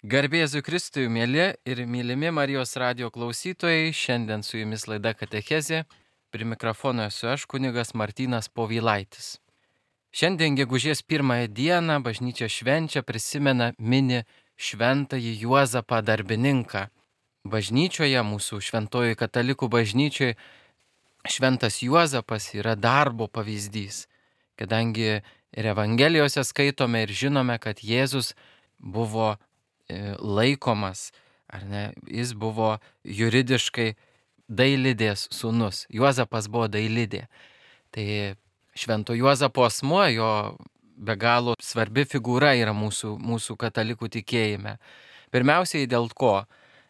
Garbėsiu Kristui, mėly ir mylimi Marijos radio klausytojai, šiandien su jumis laida Katechezė, prie mikrofono esu aš, kunigas Martynas Povilaitis. Šiandien gegužės 1 dieną bažnyčia švenčia, prisimena, mini šventąjį Juozapą darbininką. Bažnyčioje, mūsų šventoji katalikų bažnyčioje, šventas Juozapas yra darbo pavyzdys, kadangi ir Evangelijose skaitome ir žinome, kad Jėzus buvo laikomas, ar ne, jis buvo juridiškai dailidės sūnus. Juozapas buvo dailidė. Tai švento Juozapo asmuo, jo be galo svarbi figūra yra mūsų katalikų tikėjime. Pirmiausiai dėl ko?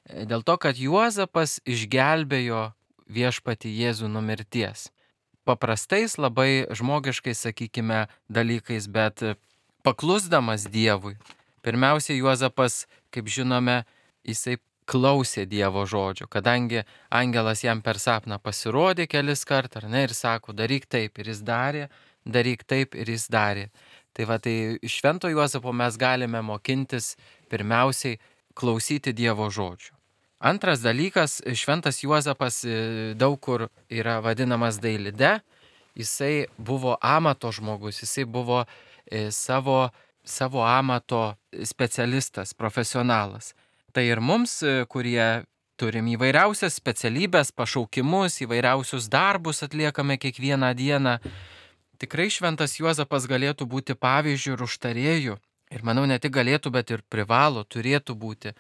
Dėl to, kad Juozapas išgelbėjo viešpatį Jėzų nuo mirties. Paprastais, labai žmogiškais, sakykime, dalykais, bet paklusdamas Dievui. Pirmiausia, Juozapas, kaip žinome, jisai klausė Dievo žodžio, kadangi angelas jam per sapną pasirodė kelis kartus, ar ne, ir sako, daryk taip, ir jis darė, daryk taip, ir jis darė. Tai va, tai iš švento Juozapo mes galime mokintis pirmiausiai klausyti Dievo žodžio. Antras dalykas, šventas Juozapas daug kur yra vadinamas dailide, jisai buvo amato žmogus, jisai buvo savo amato specialistas, profesionalas. Tai ir mums, kurie turim įvairiausias specialybės, pašaukimus, įvairiausius darbus atliekame kiekvieną dieną, tikrai šventas Juozapas galėtų būti pavyzdžiu ir užtarėju. Ir manau, ne tik galėtų, bet ir privalo, turėtų būti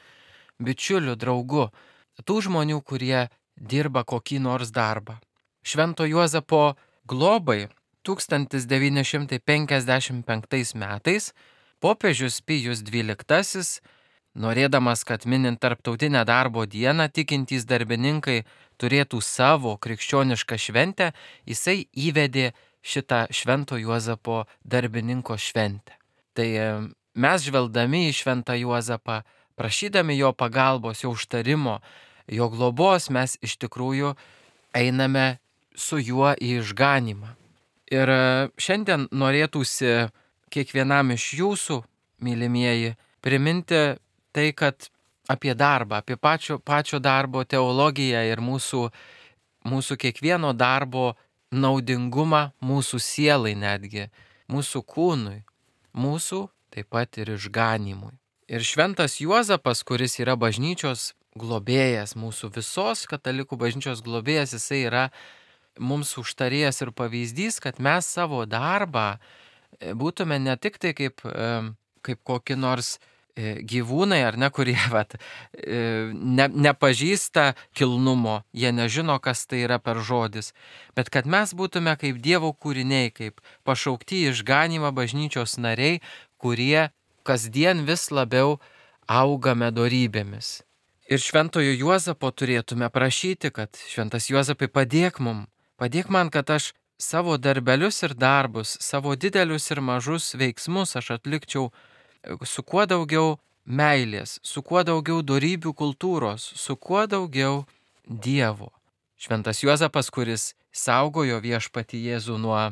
bičiuliu, draugu tų žmonių, kurie dirba kokį nors darbą. Švento Juozapo globai 1955 metais popiežius Pijus XII, norėdamas, kad minint tarptautinę darbo dieną tikintys darbininkai turėtų savo krikščionišką šventę, jisai įvedė šitą švento Juozapo darbininko šventę. Tai mes žvelgdami į šventą Juozapą, prašydami jo pagalbos, jo užtarimo, jo globos, mes iš tikrųjų einame su juo į išganymą. Ir šiandien norėtųsi kiekvienam iš jūsų, mylimieji, priminti tai, kad apie darbą, apie pačio darbo teologiją ir mūsų kiekvieno darbo naudingumą mūsų sielai netgi, mūsų kūnui, mūsų taip pat ir išganymui. Ir šventas Juozapas, kuris yra bažnyčios globėjas, mūsų visos katalikų bažnyčios globėjas, jisai yra mums užtarėjas ir pavyzdys, kad mes savo darbą būtume ne tik tai kaip kokie nors gyvūnai, ar ne, kurie nepažįsta kilnumo, jie nežino, kas tai yra per žodis, bet kad mes būtume kaip Dievo kūriniai, kaip pašaukti į išganymą bažnyčios nariai, kurie kasdien vis labiau augame dorybėmis. Ir šventojo Juozapo turėtume prašyti, kad šventas Juozapai padėk man, kad aš savo darbelius ir darbus, savo didelius ir mažus veiksmus aš atlikčiau su kuo daugiau meilės, su kuo daugiau dorybių kultūros, su kuo daugiau Dievo. Šventas Juozapas, kuris saugojo viešpatį Jėzų nuo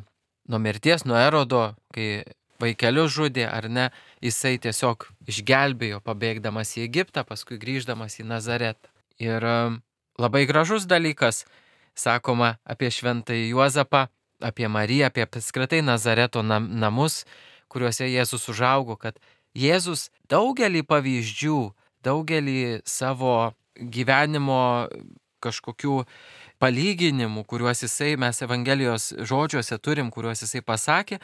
mirties, nuo Erodo, kai vaikelius žudė, ar ne, jisai tiesiog išgelbėjo, pabėgdamas į Egiptą, paskui grįždamas į Nazaretą. Ir labai gražus dalykas, sakoma apie šventąjį Juozapą, apie Mariją, apie apskritai Nazareto namus, kuriuose Jėzus užaugo, kad Jėzus daugelį pavyzdžių, daugelį savo gyvenimo kažkokių palyginimų, kuriuos mes Evangelijos žodžiuose turim, kuriuos jisai pasakė,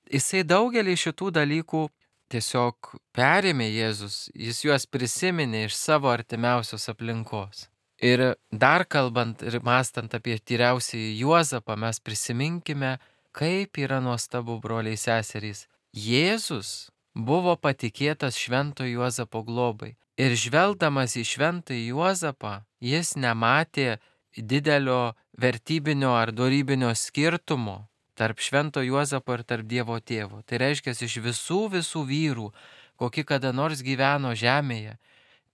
jisai daugelį šitų dalykų tiesiog perėmė Jėzus, jis juos prisiminė iš savo artimiausios aplinkos. Ir dar kalbant ir mąstant apie tyriausiąjį Juozapą, mes prisiminkime, kaip yra nuostabu, broliai seserys. Jėzus buvo patikėtas švento Juozapo globai. Ir žvelgdamas į šventąjį Juozapą, jis nematė didelio vertybinio ar dorybinio skirtumo tarp švento Juozapo ir tarp Dievo tėvo. Tai reiškia, iš visų vyrų, kokie kada nors gyveno žemėje,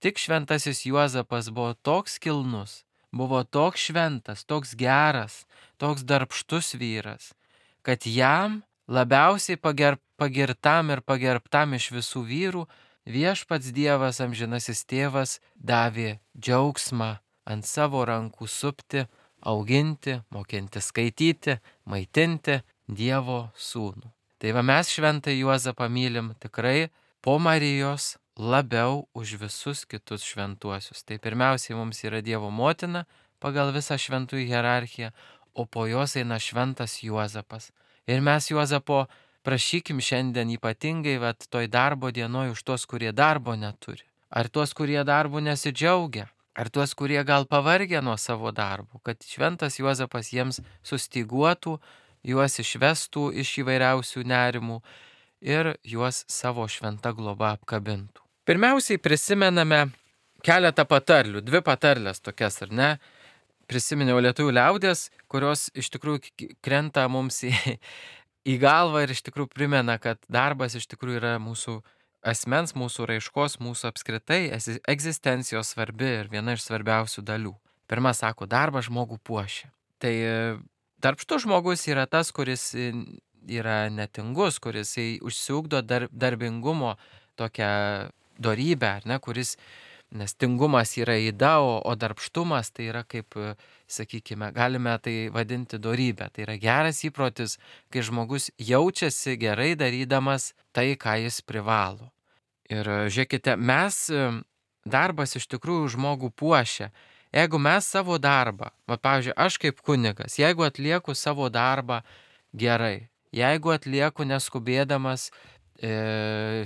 tik šventasis Juozapas buvo toks kilnus, buvo toks šventas, toks geras, toks darbštus vyras, kad jam labiausiai pagirtam ir pagerbtam iš visų vyrų Viešpats Dievas, amžinasis tėvas, davė džiaugsmą ant savo rankų supti, auginti, mokinti skaityti, maitinti Dievo sūnų. Tai va mes šventą Juozapą mylim tikrai po Marijos labiau už visus kitus šventuosius. Tai pirmiausiai mums yra Dievo motina pagal visą šventųjų hierarchiją, o po jos eina šventas Juozapas. Ir mes Juozapo prašykim šiandien ypatingai toj darbo dienoj už tuos, kurie darbo neturi. Ar tuos, kurie darbo nesidžiaugia. Ar tuos, kurie gal pavargę nuo savo darbo. Kad šventas Juozapas jiems sustyguotų, juos išvestų iš įvairiausių nerimų ir juos savo šventa globa apkabintų. Pirmiausiai prisimename keletą patarlių, 2 patarlės tokias, ar ne? Prisiminiau lietuvių liaudės, kurios iš tikrųjų krenta mums į galvą ir iš tikrųjų primena, kad darbas iš tikrųjų yra mūsų asmens, mūsų raiškos, mūsų apskritai egzistencijos svarbi ir viena iš svarbiausių dalių. Pirma sako, darbas žmogų puošia. Tai darbštus žmogus yra tas, kuris yra netingus, kuris užsiugdo darbingumo tokią dorybę, ar ne, kuris, nes tingumas yra yda, o darbštumas tai yra kaip, sakykime, galime tai vadinti dorybę. Tai yra geras įprotis, kai žmogus jaučiasi gerai darydamas tai, ką jis privalo. Ir žiūrėkite, darbas iš tikrųjų žmogų puošia. Jeigu mes savo darbą, pavyzdžiui, aš kaip kunigas, jeigu atlieku savo darbą gerai, jeigu atlieku neskubėdamas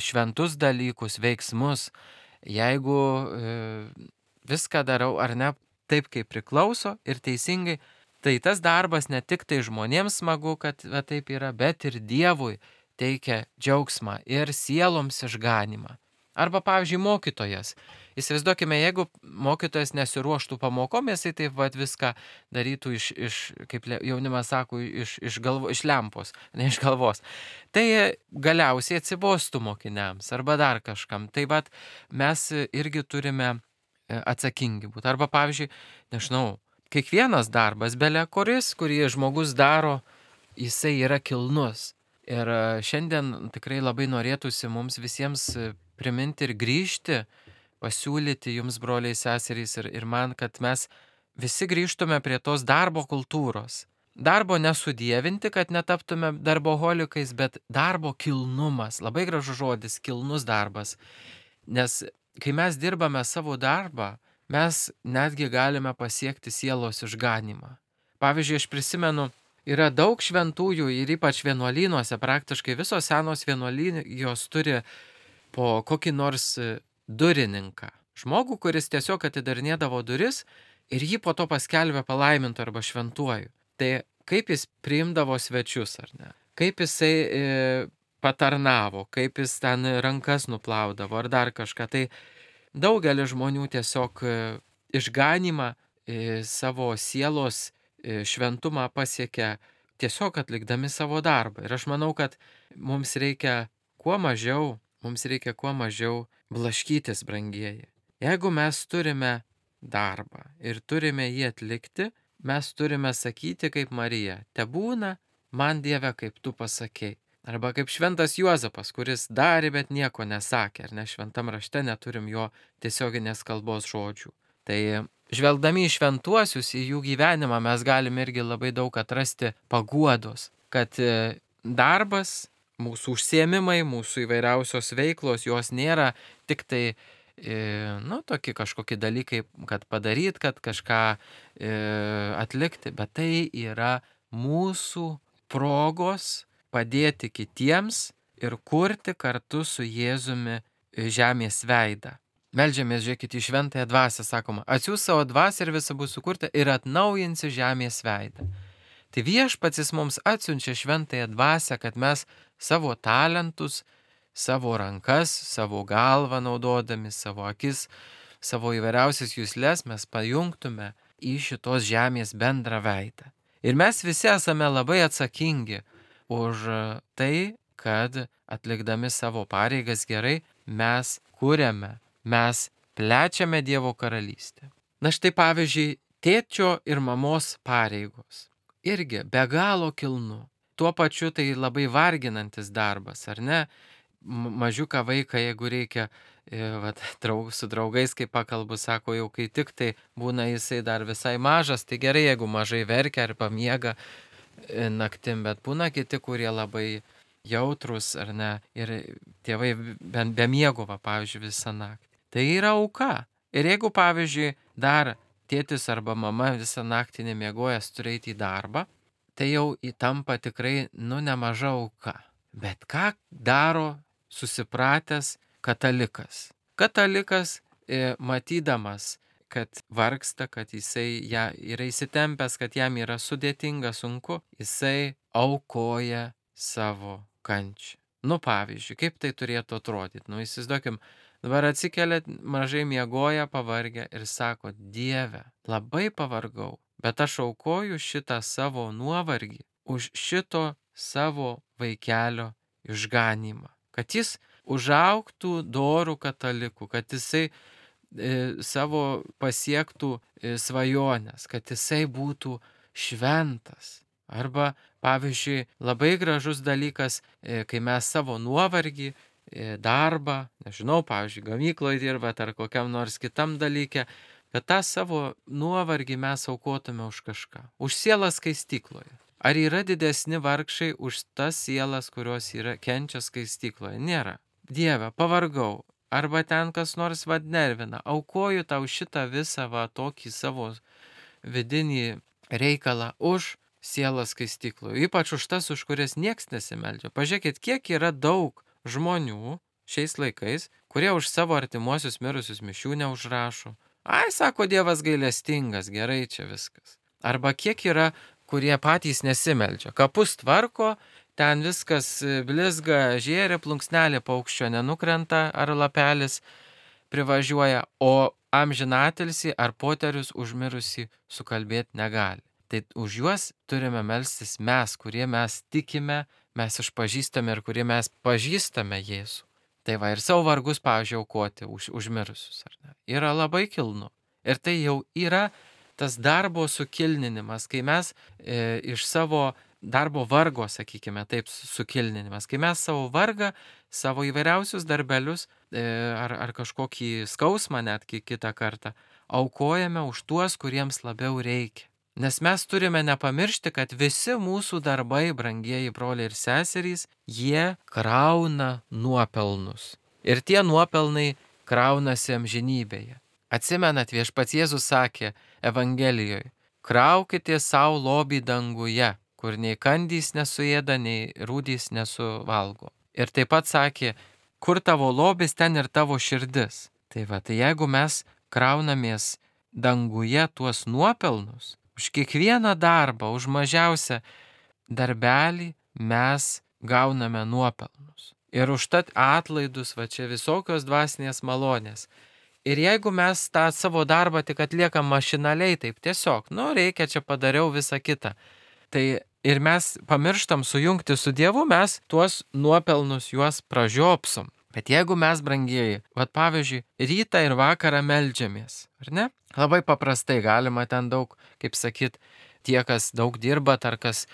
šventus dalykus, veiksmus, jeigu viską darau ar ne taip, kaip priklauso ir teisingai, tai tas darbas ne tik tai žmonėms smagu, kad taip yra, bet ir Dievui teikia džiaugsmą ir sieloms išganimą. Arba, pavyzdžiui, mokytojas. Įsivaizduokime, jeigu mokytojas nesiruoštų pamokom, jisai taip viską darytų kaip jaunimas sako, iš lempos, ne iš galvos. Tai galiausiai atsibostų mokiniams arba dar kažkam. Tai mes irgi turime atsakingi būti. Arba, pavyzdžiui, nežinau, kiekvienas darbas, bele kuris, kurį žmogus daro, jisai yra kilnus. Ir šiandien tikrai labai norėtųsi mums visiems priminti ir grįžti, pasiūlyti jums, broliai, seserys ir man, kad mes visi grįžtume prie tos darbo kultūros. Darbo nesudievinti, kad netaptume darboholikais, bet darbo kilnumas. Labai gražus žodis, kilnus darbas. Nes kai mes dirbame savo darbą, mes netgi galime pasiekti sielos išganimą. Pavyzdžiui, aš prisimenu, yra daug šventųjų ir ypač vienuolynuose, praktiškai visos senos vienuolijos turi po kokį nors durininką. Žmogų, kuris tiesiog atidarinėdavo duris ir jį po to paskelbė palaimintu arba šventuoju. Tai kaip jis priimdavo svečius, ar ne? Kaip jisai patarnavo, kaip jis ten rankas nuplaudavo ar dar kažką. Tai daugelis žmonių tiesiog išganimą, savo sielos šventumą pasiekia tiesiog atlikdami savo darbą. Ir aš manau, kad mums reikia kuo mažiau blaškytis, brangieji. Jeigu mes turime darbą ir turime jį atlikti, mes turime sakyti kaip Marija, tebūna man Dieve, kaip tu pasakei. Arba kaip šventas Juozapas, kuris darė, bet nieko nesakė, ar ne, šventam rašte neturim jo tiesioginės kalbos žodžių. Tai žvelgdami į šventuosius, į jų gyvenimą, mes galime irgi labai daug atrasti paguodos, kad darbas, mūsų užsiėmimai, mūsų įvairiausios veiklos, jos nėra tik tai, tokie kažkokie dalykai, kad padaryt, kad kažką atlikti, bet tai yra mūsų progos padėti kitiems ir kurti kartu su Jėzumi žemės veidą. Meldžiamės, žiūrėkite, į šventąją dvasią, sakoma, atsiųs savo dvasią ir visa bus sukurta ir atnaujinsi žemės veidą. Tai viešpats mums atsiunčia šventąją dvasią, kad mes savo talentus, savo rankas, savo galvą naudodami, savo akis, savo įvairiausias juslės mes pajungtume į šitos žemės bendrą veidą. Ir mes visi esame labai atsakingi už tai, kad atlikdami savo pareigas gerai mes kuriame, mes plečiame Dievo karalystę. Na štai pavyzdžiui, tėčio ir mamos pareigos. Irgi be galo kilnu. Tuo pačiu tai labai varginantis darbas, ar ne? mažiuką vaiką, jeigu reikia, vat, su draugais, kai pakalbu, sako, jau kai tik tai būna jisai dar visai mažas, tai gerai, jeigu mažai verkia ar pamiega naktim, bet būna kiti, kurie labai jautrus ar ne, ir tėvai be miego, pavyzdžiui, visą naktį. Tai yra auka. Ir jeigu, pavyzdžiui, dar tėtis arba mama visą naktį nemiegojęs turi eiti į darbą, tai jau įtampa tikrai, nemaža auka. Bet ką daro susipratęs katalikas? Katalikas, matydamas, kad vargsta, kad jisai yra įsitempęs, kad jam yra sudėtinga, sunku, jisai aukoja savo kančią. Pavyzdžiui, kaip tai turėtų atrodyti? Įsivaizduokim, dabar atsikelia, mažai miegoja, pavargę ir sako, Dieve, labai pavargau, bet aš aukoju šitą savo nuovargį už šito savo vaikelio išganymą. Kad jis užaugtų dorų katalikų, kad jisai savo pasiektų svajonės, kad jisai būtų šventas. Arba, pavyzdžiui, labai gražus dalykas, kai mes savo nuovargį, darbą, nežinau, pavyzdžiui, gamykloje dirbat ar kokiam nors kitam dalykė, kad tą savo nuovargį mes aukotume už kažką, už sielą skaistykloje. Ar yra didesni vargšai už tas sielas, kurios kenčia skaistykloje? Nėra. Dieve, pavargau. Arba ten kas nors nervina. Aukoju tau šitą visą tokį savo vidinį reikalą už sielą skaistykloje. Ypač už tas, už kurias nieks nesimeldžia. Pažiūrėkit, kiek yra daug žmonių šiais laikais, kurie už savo artimuosius mirusius mišių neužrašo. Ai, sako, Dievas gailestingas, gerai čia viskas. Arba kiek yra, kurie patys nesimeldžia. Kapus tvarko, ten viskas blizga, žėri, plunksnelė paukščio nenukrenta ar lapelis privažiuoja, o amžinatilsį ar poterius užmirusi sukalbėti negali. Tai už juos turime melstis mes, kurie mes tikime, mes išpažįstame ir kurie mes pažįstame Jėzų. Tai ir savo vargus, pavyzdžiui, aukoti už mirusius. Ar ne? Yra labai kilnu. Ir tai jau yra tas darbo sukilninimas, kai mes iš savo darbo vargo, sakykime, taip, sukilninimas, kai mes savo vargą, savo įvairiausius darbelius ar kažkokį skausmą netgi kitą kartą aukojame už tuos, kuriems labiau reikia. Nes mes turime nepamiršti, kad visi mūsų darbai, brangieji broliai ir seserys, jie krauna nuopelnus. Ir tie nuopelnai kraunasi amžinybėje. Atsimenat, viešpats Jėzus sakė Evangelijoje, kraukite savo lobį danguje, kur nei kandys nesuėda, nei rūdys nesuvalgo. Ir taip pat sakė, kur tavo lobis, ten ir tavo širdis. Tai jeigu mes kraunamės danguje tuos nuopelnus, už kiekvieną darbą, už mažiausią darbelį mes gauname nuopelnus. Ir užtat atlaidus, čia visokios dvasinės malonės. Ir jeigu mes tą savo darbą tik atliekam mašinaliai, taip tiesiog, reikia čia padariau visą kitą. Tai ir mes pamirštam sujungti su Dievu, mes tuos nuopelnus juos pražiopsom. Bet jeigu mes, brangieji, pavyzdžiui, rytą ir vakarą meldžiamės, ar ne? Labai paprastai galima ten daug, kaip sakyt, tie, kas daug dirbat, ar kas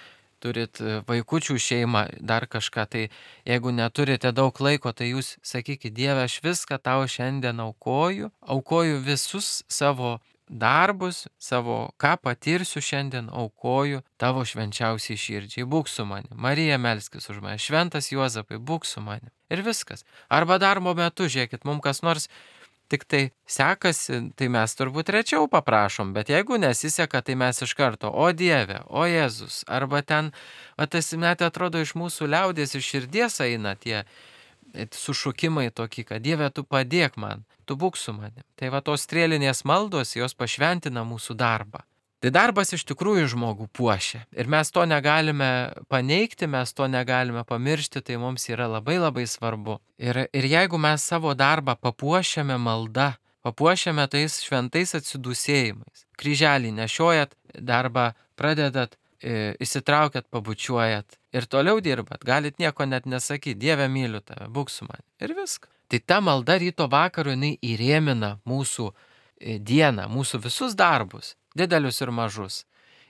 turit vaikučių šeimą, dar kažką, tai jeigu neturite daug laiko, tai jūs sakykit, Dieve, aš viską tau šiandien aukoju visus savo darbus, savo, ką patirsiu šiandien, aukoju tavo švenčiausiai širdžiai, būk su manim. Marija, melskis už mane, šventas Juozapai, būk su manim. Ir viskas. Arba darbo metu, žiūrėkit, mums kas nors tik tai sekasi, tai mes turbūt rečiau paprašom, bet jeigu nesiseka, tai mes iš karto, o Dieve, o Jėzus, arba ten, tas net atrodo iš mūsų liaudės, iš širdies eina tie sušukimai tokie, kad Dieve, tu padėk man, tu būk su manim. Tai tos strėlinės maldos, jos pašventina mūsų darbą. Tai darbas iš tikrųjų žmogų puošia. Ir mes to negalime paneigti, mes to negalime pamiršti, tai mums yra labai labai svarbu. Ir jeigu mes savo darbą papuošiame malda, papuošiame tais šventais atsidūsėjimais, kryželį nešiojat, darbą pradedat, įsitraukiat, pabučiuojat ir toliau dirbat, galit nieko net nesakyti, Dieve, myliu tave, būk su manim. Ir viskas. Tai ta malda ryto vakaru, jinai įrėmina mūsų dieną, mūsų visus darbus, didelius ir mažus,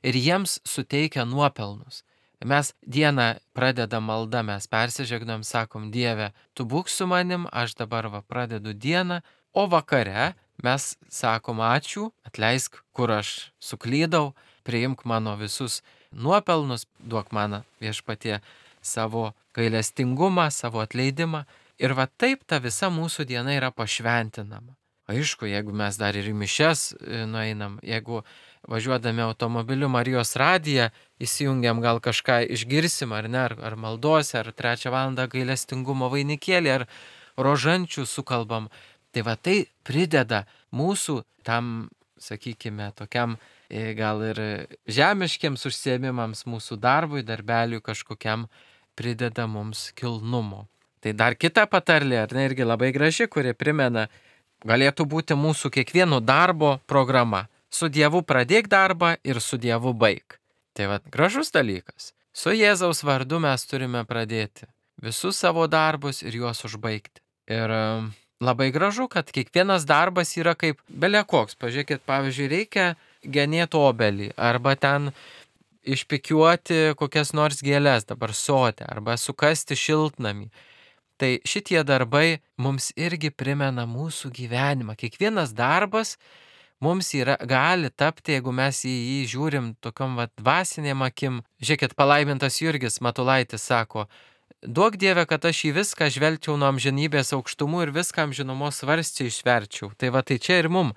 ir jiems suteikia nuopelnus. Mes dieną pradedam maldą, mes persižegnam, sakom, Dieve, tu būk su manim, aš dabar pradedu dieną, o vakare mes sakom ačiū, atleisk, kur aš suklydau, priimk mano visus nuopelnus, duok man Viešpatie savo gailestingumą, savo atleidimą. Ir taip ta visa mūsų diena yra pašventinama. Aišku, jeigu mes dar ir į mišias nueinam, jeigu važiuodami automobiliu Marijos radiją įsijungiam, gal kažką išgirsim, ar ne, ar maldose, ar 3 valandą gailestingumo vainikėlį, ar rožančių sukalbam. Tai tai prideda mūsų tam, sakykime, tokiam gal ir žemiškiams užsiėmimams, mūsų darbui, darbeliui kažkokiam prideda mums kilnumo. Tai dar kita patarlė, ar ne, irgi labai graži, kuri primena, galėtų būti mūsų kiekvieno darbo programa. Su Dievu pradėk darbą ir su Dievu baig. Tai gražus dalykas. Su Jėzaus vardu mes turime pradėti visus savo darbus ir juos užbaigti. Ir labai gražu, kad kiekvienas darbas yra kaip belekoks. Pažiūrėkit, pavyzdžiui, reikia genėti obelį arba ten išpikiuoti kokias nors gėles dabar sode arba sukasti šiltnamį. Tai šitie darbai mums irgi primena mūsų gyvenimą. Kiekvienas darbas mums gali tapti, jeigu mes į jį žiūrim tokiom dvasinėm akim. Žiūrėkit, palaimintas Jurgis Matulaitis sako, duok Dieve, kad aš į viską žvelgčiau nuo amžinybės aukštumų ir viską amžinumos svarsčiai išverčiau. Tai tai čia ir mum.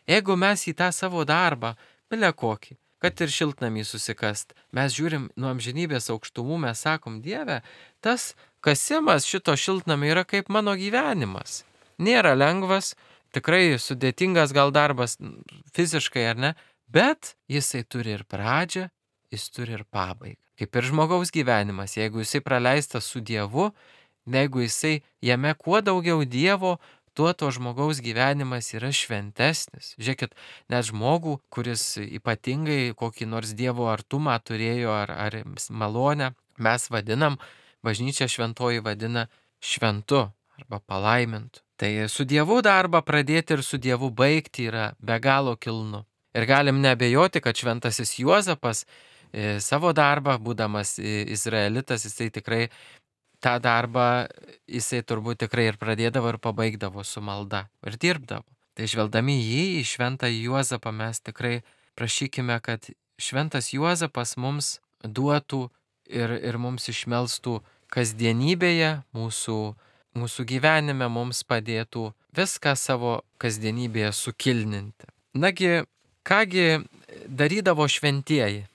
Jeigu mes į tą savo darbą, bile kokį, kad ir šiltnamį susikast, mes žiūrim nuo amžinybės aukštumų, mes sakom, Dieve, tas kasimas šito šiltnamio yra kaip mano gyvenimas. Nėra lengvas, tikrai sudėtingas gal darbas fiziškai, ar ne, bet jisai turi ir pradžią, jis turi ir pabaigą. Kaip ir žmogaus gyvenimas, jeigu jisai praleistas su Dievu, jeigu jisai jame kuo daugiau Dievo, tuo to žmogaus gyvenimas yra šventesnis. Žiūrėkit, net žmogų, kuris ypatingai kokį nors Dievo artumą turėjo ar malonę, mes vadinam, bažnyčia šventoji vadina šventu arba palaimintu. Tai su Dievu darbą pradėti ir su Dievu baigti yra be galo kilnu. Ir galim neabejoti, kad šventasis Juozapas savo darbą, būdamas izraelitas, jisai tikrai tą darbą, jisai turbūt tikrai ir pradėdavo ir pabaigdavo su malda ir dirbdavo. Tai žvelgdami jį, į šventą Juozapą, mes tikrai prašykime, kad šventas Juozapas mums duotų ir mums išmelstų kasdienybėje, mūsų gyvenime mums padėtų viską savo kasdienybėje sukilninti. Nagi, kągi darydavo šventieji?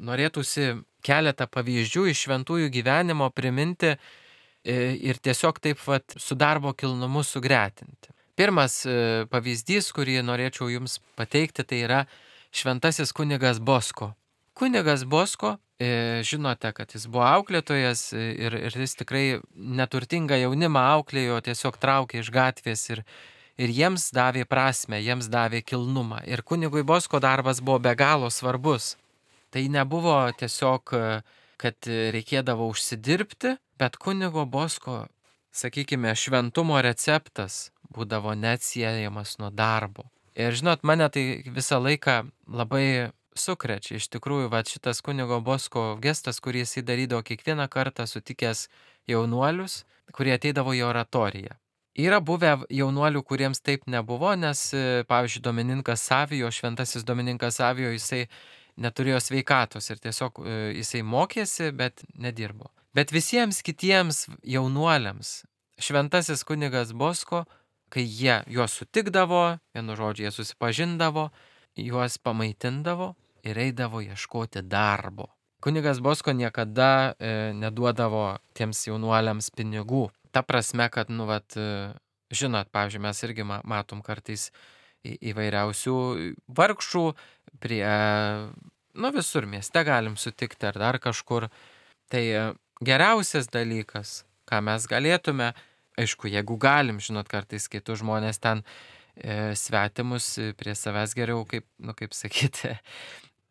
Norėtųsi keletą pavyzdžių iš šventųjų gyvenimo priminti ir tiesiog taip su darbo kilnumu sugretinti. Pirmas pavyzdys, kurį norėčiau jums pateikti, tai yra šventasis kunigas Bosko. Kunigas Bosko, žinote, kad jis buvo auklėtojas ir jis tikrai neturtingą jaunimą auklėjo, tiesiog traukė iš gatvės ir jiems davė prasmę, jiems davė kilnumą. Ir kunigui Bosko darbas buvo be galo svarbus. Tai nebuvo tiesiog, kad reikėdavo užsidirbti, bet kunigo Bosko, sakykime, šventumo receptas būdavo neatsiejamas nuo darbo. Ir žinot, mane tai visą laiką labai sukrečia. Iš tikrųjų, šitas kunigo Bosko gestas, kurį jis darydavo kiekvieną kartą sutikęs jaunuolius, kurie ateidavo į oratoriją. Yra buvę jaunuolių, kuriems taip nebuvo, nes, pavyzdžiui, Domininkas Savijo, šventasis Domininkas Savijo, jisai neturėjo sveikatos ir tiesiog jisai mokėsi, bet nedirbo. Bet visiems kitiems jaunuoliams šventasis kunigas Bosko, kai jie juos sutikdavo, vienu žodžiu, jie susipažindavo, juos pamaitindavo ir eidavo ieškoti darbo. Kunigas Bosko niekada neduodavo tiems jaunuoliams pinigų. Ta prasme, kad, žinot, pavyzdžiui, mes irgi matom kartais įvairiausių vargšų prie, visur mieste galim sutikti ar dar kažkur. Tai geriausias dalykas, ką mes galėtume, aišku, jeigu galim, žinot, kartais kitus žmonės ten svetimus prie savęs geriau, kaip sakyti,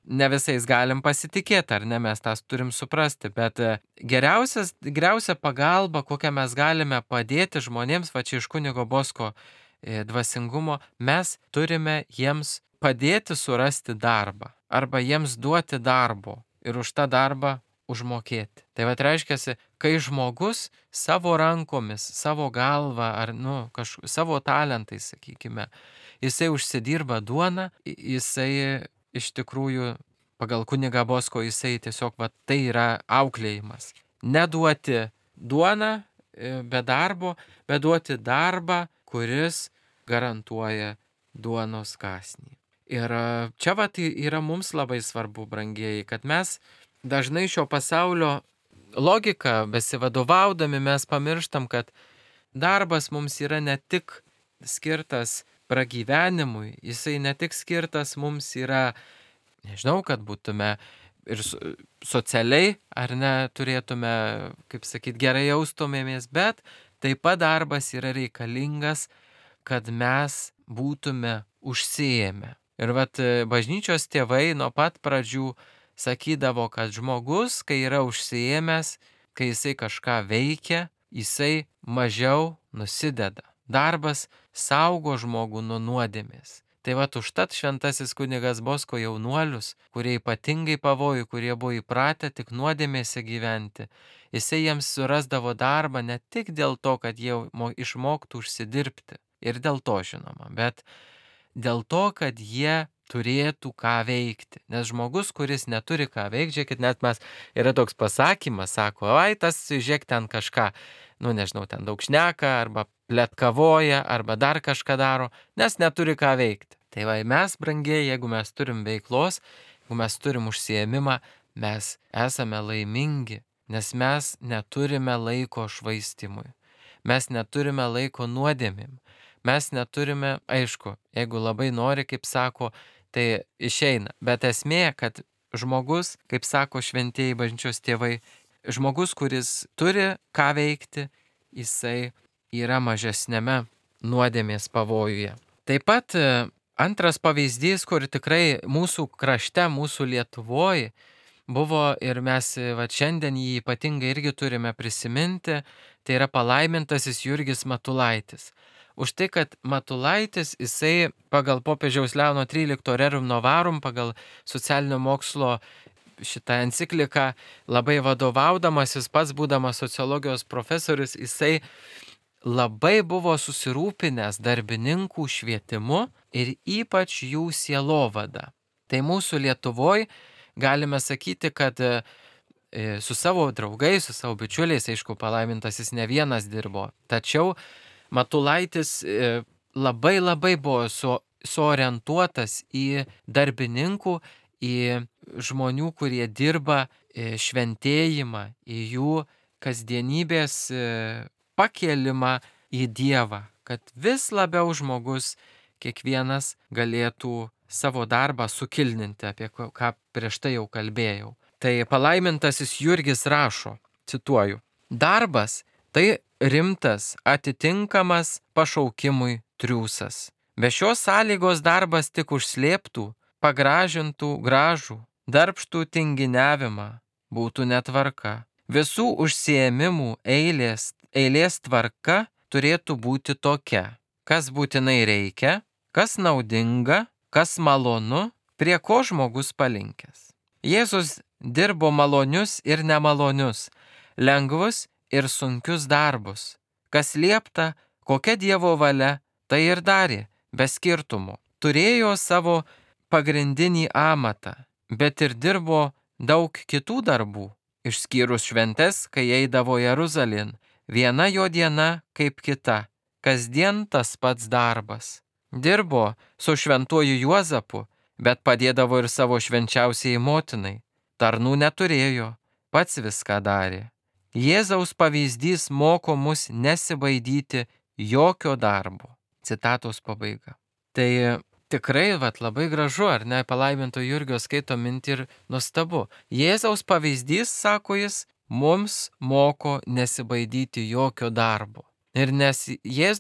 ne visais galim pasitikėti, ar ne, mes tas turim suprasti, bet geriausia pagalba, kokią mes galime padėti žmonėms, čia iš kunigo Bosko dvasingumo, mes turime jiems padėti surasti darbą arba jiems duoti darbo ir už tą darbą užmokėti. Tai va reiškia, kai žmogus savo rankomis, savo galva ar savo talentais, sakykime, jisai užsidirba duoną, jisai iš tikrųjų pagal kunigą Bosko jisai tiesiog tai yra auklėjimas. Neduoti duoną be darbo, bet duoti darbą, kuris garantuoja duonos kąsnį. Ir čia yra mums labai svarbu, brangieji, kad mes dažnai šio pasaulio logiką besivadovaudami mes pamirštam, kad darbas mums yra ne tik skirtas pragyvenimui, jisai ne tik skirtas mums yra, nežinau, kad būtume ir socialiai, ar ne, turėtume, kaip sakyt, gerai jaustumėmės, bet taip pat darbas yra reikalingas, kad mes būtume užsiėmę. Ir bažnyčios tėvai nuo pat pradžių sakydavo, kad žmogus, kai yra užsiėmęs, kai jisai kažką veikia, jisai mažiau nusideda. Darbas saugo žmogų nuo nuodėmės. Tai užtat šventasis kunigas Bosko jaunuolius, kurie ypatingai pavojų, kurie buvo įpratę tik nuodėmėse gyventi, jisai jiems surasdavo darbą ne tik dėl to, kad jie išmoktų užsidirbti, ir dėl to žinoma, bet dėl to, kad jie turėtų ką veikti. Nes žmogus, kuris neturi ką veikti, žiūrėkit, net yra toks pasakymas, sako, tas, žiūrėk, ten kažką, nežinau, ten daug šneka, arba pletkavoja, arba dar kažką daro, nes neturi ką veikti. Tai mes, brangieji, jeigu mes turim veiklos, jeigu mes turim užsiėmimą, mes esame laimingi, nes mes neturime laiko švaistimui. Mes neturime laiko nuodėmėm. Mes neturime, aišku, jeigu labai nori, kaip sako, tai išeina. Bet esmė, kad žmogus, kaip sako šventieji bažnyčios tėvai, žmogus, kuris turi ką veikti, jisai yra mažesnėme nuodėmės pavojuje. Taip pat antras pavyzdys, kur tikrai mūsų krašte, mūsų Lietuvoje buvo ir mes šiandien jį ypatingai irgi turime prisiminti, tai yra palaimintasis Jurgis Matulaitis. Už tai, kad Matulaitis, jisai pagal popiežiaus Leono XIII Rerum Novarum, pagal socialinio mokslo šitą encikliką labai vadovaudamasis, pats būdamas sociologijos profesorius, jisai labai buvo susirūpinęs darbininkų švietimu ir ypač jų sielovada. Tai mūsų Lietuvoje galime sakyti, kad su savo draugais, su savo bičiuliais, aišku, palaimintasis ne vienas dirbo, tačiau Matulaitis labai buvo suorientuotas į darbininkų, į žmonių, kurie dirba šventėjimą, į jų kasdienybės pakėlimą į Dievą, kad vis labiau žmogus kiekvienas galėtų savo darbą sukilninti, apie ką prieš tai jau kalbėjau. Tai palaimintasis Jurgis rašo, cituoju, darbas tai rimtas, atitinkamas pašaukimui triūsas. Be šios sąlygos darbas tik užslėptų, pagražintų gražų, darbštų tinginiavimą, būtų netvarka. Visų užsiėmimų eilės tvarka turėtų būti tokia, kas būtinai reikia, kas naudinga, kas malonu, prie ko žmogus palinkęs. Jėzus dirbo malonius ir nemalonius, lengvus ir sunkius darbus. Kas liepta, kokia Dievo valia, tai ir darė, be skirtumų. Turėjo savo pagrindinį amatą, bet ir dirbo daug kitų darbų, išskyrus šventes, kai eidavo Jeruzalėn. Viena jo diena kaip kita, kasdien tas pats darbas. Dirbo su šventuoju Juozapu, bet padėdavo ir savo švenčiausiai motinai. Tarnų neturėjo, pats viską darė. Jėzaus pavyzdys moko mus nesibaidyti jokio darbo. Citatos pabaiga. Tai tikrai labai gražu, ar ne, palaiminto Jurgio skaito mintį ir nuostabu. Jėzaus pavyzdys, sako jis, mums moko nesibaidyti jokio darbo. Ir nes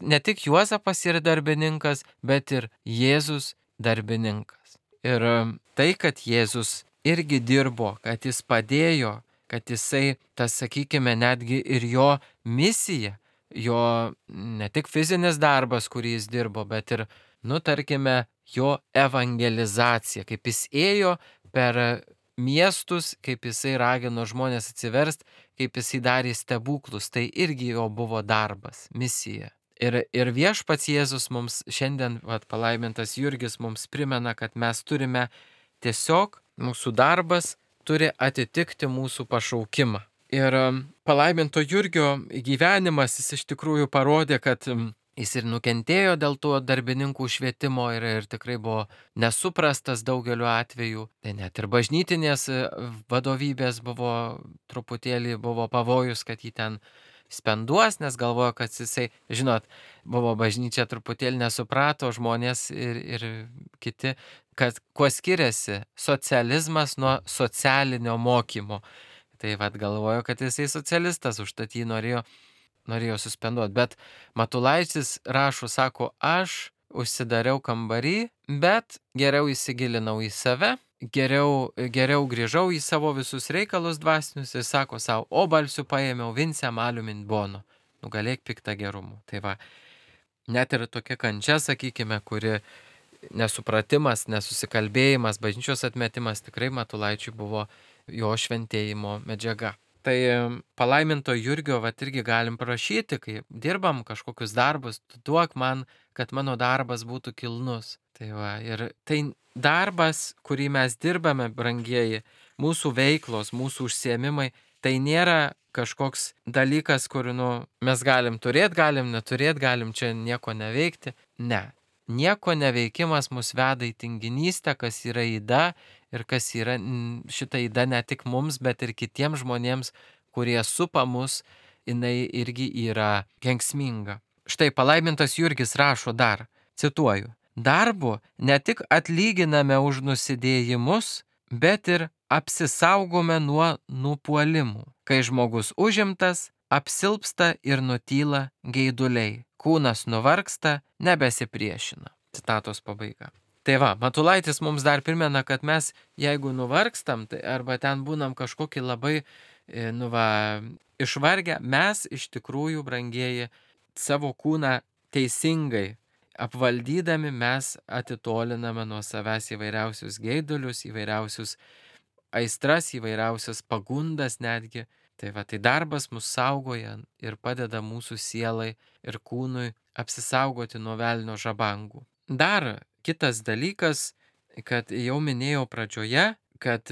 ne tik Juozapas yra darbininkas, bet ir Jėzus darbininkas. Ir tai, kad Jėzus irgi dirbo, kad jis padėjo, kad jisai, tas sakykime, netgi ir jo misija, jo ne tik fizinis darbas, kurį jis dirbo, bet ir, tarkime, jo evangelizacija, kaip jis ėjo per miestus, kaip jisai ragino žmonės atsiverst, kaip jisai darė stebuklus. Tai irgi jo buvo darbas, misija. Ir viešpats Jėzus mums šiandien, palaimintas Jurgis, mums primena, kad mes turime tiesiog, mūsų darbas turi atitikti mūsų pašaukimą. Ir palaiminto Jurgio gyvenimas, jis iš tikrųjų parodė, kad jis ir nukentėjo dėl to darbininkų švietimo ir tikrai buvo nesuprastas daugeliu atveju. Tai net ir bažnytinės vadovybės buvo truputėlį pavojus, kad jį ten spenduos, nes galvojo, kad jisai, žinot, buvo bažnyčia truputėlį nesuprato žmonės ir kiti, kad kuo skiriasi socializmas nuo socialinio mokymo. Tai galvojo, kad jisai socialistas, užtat jį norėjo suspenduoti. Bet Matulaitis rašo, sako, aš užsidariau kambarį, bet geriau įsigilinau į save, geriau grįžau į savo visus reikalus dvasinius ir sako savo, o balsiu paėmiau vincem aliumin bono, nugalėk piktą gerumu. Tai va, net ir tokia kančia, sakykime, kuri nesupratimas, nesusikalbėjimas, bažnyčios atmetimas tikrai Matulaičiui buvo jo šventėjimo medžiaga. Tai palaiminto Jurgio irgi galim prašyti, kai dirbam kažkokius darbus, duok man, kad mano darbas būtų kilnus. Tai va, ir tai darbas, kurį mes dirbame, brangieji, mūsų veiklos, mūsų užsiėmimai, tai nėra kažkoks dalykas, kur mes galim turėti, galim neturėti, galim čia nieko neveikti. Ne. Nieko neveikimas mus veda į tinginystę, kas yra yda ir kas yra šita yda ne tik mums, bet ir kitiems žmonėms, kurie supa mus, jinai irgi yra kenksminga. Štai palaimintas Jurgis rašo dar, cituoju, darbu ne tik atlyginame už nusidėjimus, bet ir apsisaugome nuo nupuolimų. Kai žmogus užimtas, apsilpsta ir nutyla geiduliai. Kūnas nuvargsta, nebesipriešina. Citatos pabaiga. Tai va, Matulaitis mums dar primena, kad mes, jeigu nuvargstam, tai arba ten būnam kažkokį labai, išvargę, mes iš tikrųjų, brangieji, savo kūną teisingai apvaldydami mes atitoliname nuo savęs įvairiausius geidulius, įvairiausius aistras, įvairiausias pagundas netgi. Tai va, tai darbas mus saugoja ir padeda mūsų sielai ir kūnui apsisaugoti nuo velnio žabangų. Dar kitas dalykas, kad jau minėjau pradžioje, kad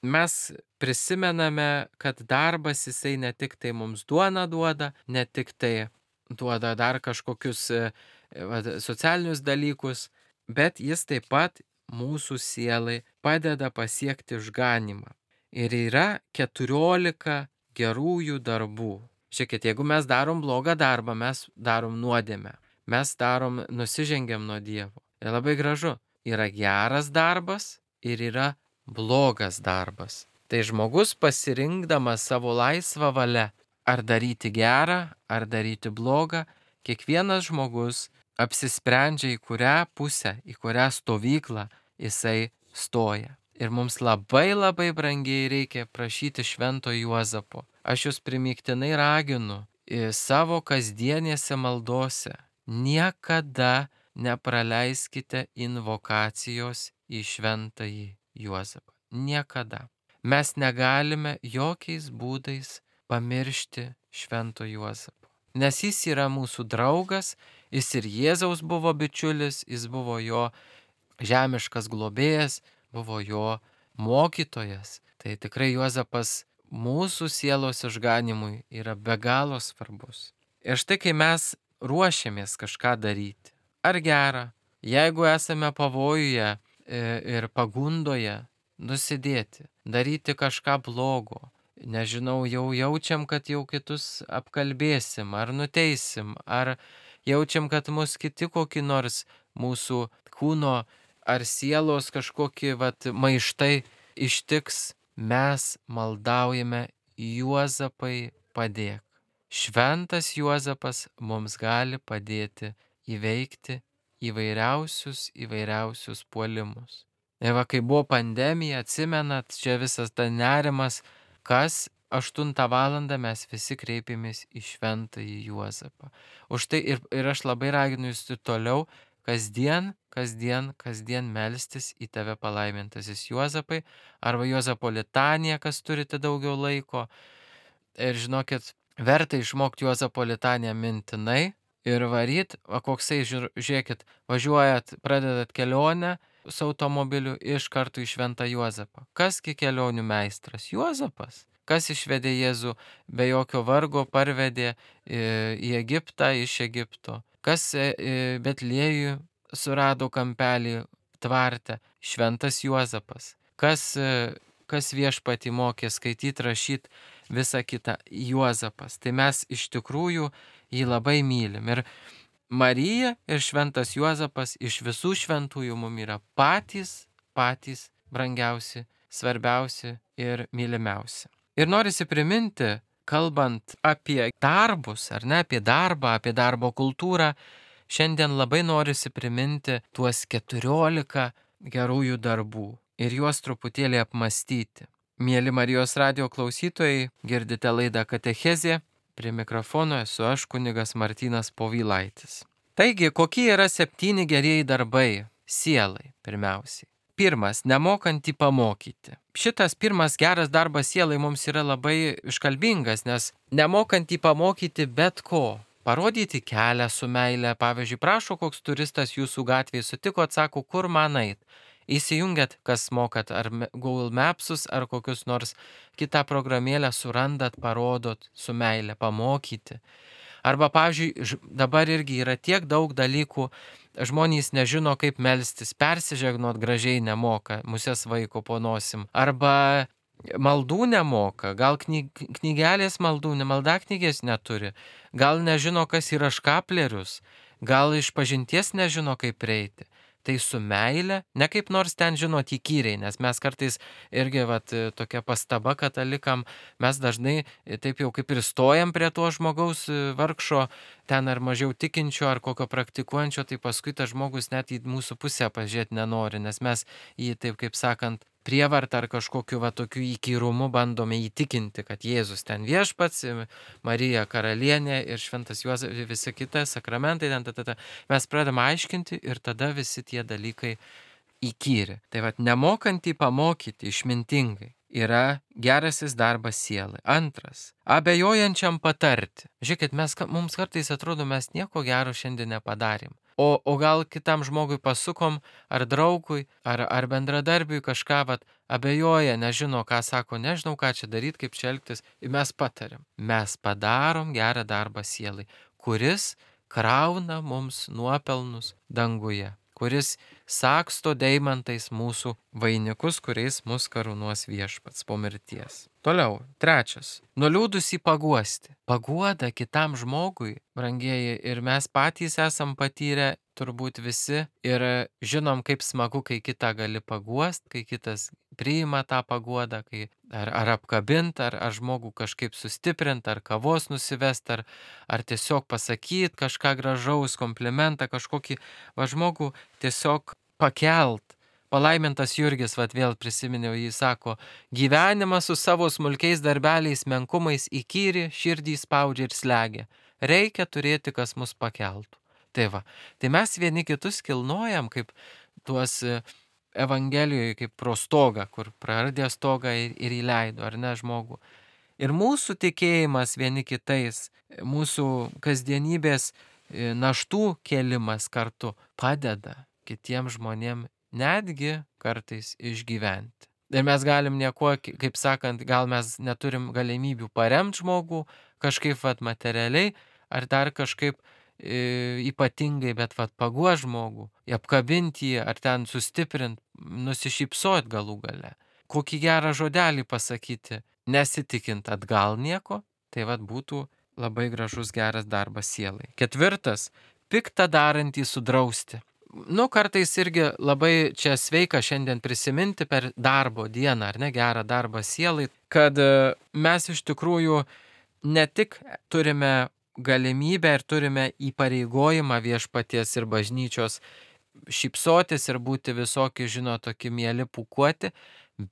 mes prisimename, kad darbas jisai ne tik tai mums duoną duoda, ne tik tai duoda dar kažkokius socialinius dalykus, bet jis taip pat mūsų sielai padeda pasiekti išganymą. Ir yra 14 gerųjų darbų. Žiūrėkit, jeigu mes darom blogą darbą, mes darom nuodėmę. Mes nusižengiam nuo Dievo. Ir labai gražu, yra geras darbas ir yra blogas darbas. Tai žmogus pasirinkdamas savo laisvą valią, ar daryti gerą, ar daryti blogą, kiekvienas žmogus apsisprendžia, į kurią pusę, į kurią stovyklą jisai stoja. Ir mums labai labai brangiai reikia prašyti Švento Juozapo. Aš jūs primygtinai raginu savo kasdienėse maldose. Niekada nepraleiskite invokacijos į Šventąjį Juozapą. Niekada. Mes negalime jokiais būdais pamiršti Švento Juozapo. Nes jis yra mūsų draugas, jis ir Jėzaus buvo bičiulis, jis buvo jo žemiškas globėjas, buvo jo mokytojas. Tai tikrai Juozapas mūsų sielos išganimui yra be galo svarbus. Ir štai kai mes ruošiamės kažką daryti, ar gerą, jeigu esame pavojuje ir pagundoje nusidėti, daryti kažką blogo, nežinau, jau jaučiam, kad jau kitus apkalbėsim, ar nuteisim, ar jaučiam, kad mus kiti kokį nors mūsų kūno ar sielos kažkokį maištai ištiks, mes maldaujame Juozapai padėk. Šventas Juozapas mums gali padėti įveikti įvairiausius puolimus. Ir kai buvo pandemija, atsimenat, čia visas ta nerimas, kas 8 valandą mes visi kreipėmės į Šventąjį Juozapą. Už tai ir aš labai raginu jūs toliau kasdien melstis į tave palaimintasis Juozapai, arba Juozapo litanija, kas turite daugiau laiko. Ir žinokit, verta išmokti Juozapo litaniją mintinai ir varyt, koksai, žiūrėkit, važiuojat, pradedat kelionę su automobiliu iš karto į Šventą Juozapą. Kasgi kelionių meistras? Juozapas. Kas išvedė Jėzų be jokio vargo, parvedė į Egiptą, iš Egipto. Kas Betliejų surado kampelį tvarte? Šventas Juozapas. Kas viešpatį mokė skaityti, rašyti, visa kita? Juozapas. Tai mes iš tikrųjų jį labai mylim. Ir Marija ir Šventas Juozapas iš visų šventųjų mums yra patys brangiausi, svarbiausi ir mylimiausi. Ir norisi priminti, kalbant apie darbus, ar ne, apie darbo kultūrą, šiandien labai norisi priminti tuos 14 gerųjų darbų ir juos truputėlį apmastyti. Mieli Marijos radijo klausytojai, girdite laidą Katechezė, prie mikrofono esu aš, kunigas Martynas Povilaitis. Taigi, kokie yra 7 gerieji darbai sielai pirmiausiai? Pirmas, nemokantį pamokyti. Šitas pirmas geras darbas sielai mums yra labai iškalbingas, nes nemokantį pamokyti bet ko. Parodyti kelią su meile, pavyzdžiui, prašo koks turistas jūsų gatvėje, sutikot, sako, kur man eit. Įsijungiat, kas mokat, ar Google Mapsus, ar kokius nors kitą programėlę surandat, parodot su meile, pamokyti. Arba, pavyzdžiui, dabar irgi yra tiek daug dalykų, žmonės nežino, kaip melstis, persižegnot gražiai nemoka, musės vaiko po nosim. Arba maldų nemoka, gal knygelės maldų, maldaknygės neturi, gal nežino, kas yra škaplerius, gal iš pažinties nežino, kaip prieiti. Tai su meile, ne kaip nors ten žinot įkyriai, nes mes kartais irgi tokia pastaba katalikam, mes dažnai taip jau kaip ir stojam prie to žmogaus vargšo, ten ar mažiau tikinčio, ar kokio praktikuojančio, tai paskui tas žmogus net į mūsų pusę pažiūrėti nenori, nes mes jį taip kaip sakant prievartą ar kažkokiu tokiu įkyrumu bandome įtikinti, kad Jėzus ten viešpats, Marija karalienė ir Šventas Juozapas, visi kiti sakramentai, mes pradedame aiškinti ir tada visi tie dalykai įkyri. Tai nemokantį pamokyti išmintingai yra gerasis darbas sielai. Antras, abejojančiam patarti. Žiūrėkit, mums kartais atrodo, mes nieko gero šiandien nepadarėm. O gal kitam žmogui pasukom, ar draugui, ar bendradarbiui kažką abejoja, nežino, ką sako, nežinau, ką čia daryti, kaip čia elgtis, ir mes patariam. Mes padarom gerą darbą sielai, kuris krauna mums nuopelnus danguje, kuris saksto deimantais mūsų vainikus, kuriais mus karūnuos viešpats po mirties. Toliau, trečias, nuliūdusį paguosti. Paguoda kitam žmogui, brangieji, ir mes patys esam patyrę turbūt visi ir žinom, kaip smagu, kai kitą gali paguost, kai kitas priima tą paguodą, kai ar apkabint, ar žmogų kažkaip sustiprint, ar kavos nusivest, ar tiesiog pasakyt kažką gražaus, komplimentą, kažkokį žmogų tiesiog pakelt. Palaimintas Jurgis, vėl prisiminiau, jį sako, gyvenimas su savo smulkiais darbeliais, menkumais įkyri, širdį spaudžia ir slegia. Reikia turėti, kas mus pakeltų. Tai mes vieni kitus kilnojam, kaip tuos Evangelijoje, kaip pro stogą, kur praradė stogą ir įleido, ar ne, žmogų. Ir mūsų tikėjimas vieni kitais, mūsų kasdienybės naštų kėlimas kartu padeda kitiems žmonėms netgi kartais išgyventi. Ir mes galim nieko, kaip sakant, gal mes neturim galimybių paremti žmogų, kažkaip materialiai, ar dar kažkaip ypatingai, bet paguo žmogų, apkabinti jį, ar ten sustiprinti, nusišypsot galų gale. Kokį gerą žodelį pasakyti, nesitikint atgal nieko, tai būtų labai gražus geras darbas sielai. Ketvirtas, piktą darantį sudrausti. Kartais irgi labai čia sveika šiandien prisiminti per darbo dieną, ar ne, gerą darbą sielai, kad mes iš tikrųjų ne tik turime galimybę ir turime įpareigojimą viešpaties ir bažnyčios šypsotis ir būti visokie, tokie mieli pūkuoti,